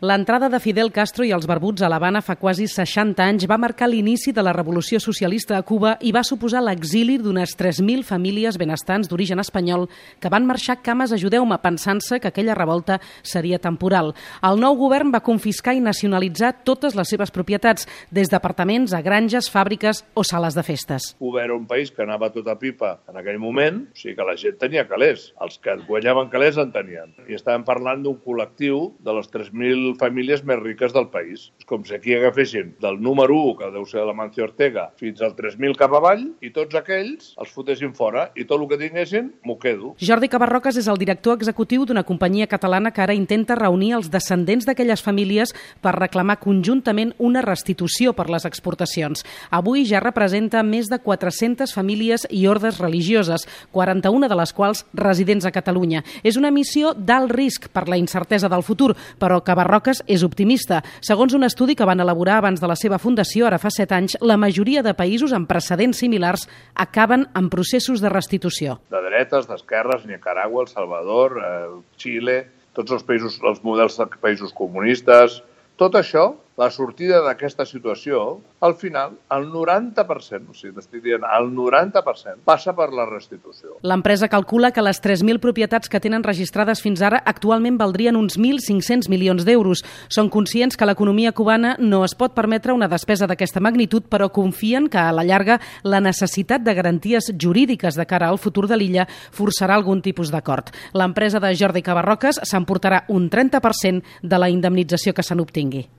L'entrada de Fidel Castro i els barbuts a l'Havana fa quasi 60 anys va marcar l'inici de la revolució socialista a Cuba i va suposar l'exili d'unes 3.000 famílies benestants d'origen espanyol que van marxar cames a Ajudeu-me pensant-se que aquella revolta seria temporal. El nou govern va confiscar i nacionalitzar totes les seves propietats, des d'apartaments a granges, fàbriques o sales de festes. Cuba era un país que anava tot a pipa en aquell moment, o sigui que la gent tenia calés. Els que guanyaven calés en tenien. I estàvem parlant d'un col·lectiu de les 3.000 famílies més riques del país. És com si aquí agafessin del número 1, que deu ser de la Mancio Ortega, fins al 3.000 cap avall, i tots aquells els fotessin fora, i tot el que tinguessin m'ho quedo. Jordi Cabarroques és el director executiu d'una companyia catalana que ara intenta reunir els descendents d'aquelles famílies per reclamar conjuntament una restitució per les exportacions. Avui ja representa més de 400 famílies i ordes religioses, 41 de les quals residents a Catalunya. És una missió d'alt risc per la incertesa del futur, però Cabarroques és optimista. Segons un estudi que van elaborar abans de la seva fundació, ara fa 7 anys, la majoria de països amb precedents similars acaben en processos de restitució. De dretes, d'esquerres, Nicaragua, El Salvador, Xile, tots els països, els models de països comunistes, tot això, la sortida d'aquesta situació, al final, el 90%, o sigui, t'estic dient, el 90% passa per la restitució. L'empresa calcula que les 3.000 propietats que tenen registrades fins ara actualment valdrien uns 1.500 milions d'euros. Són conscients que l'economia cubana no es pot permetre una despesa d'aquesta magnitud, però confien que, a la llarga, la necessitat de garanties jurídiques de cara al futur de l'illa forçarà algun tipus d'acord. L'empresa de Jordi Cabarroques s'emportarà un 30% de la indemnització que se n'obtingui.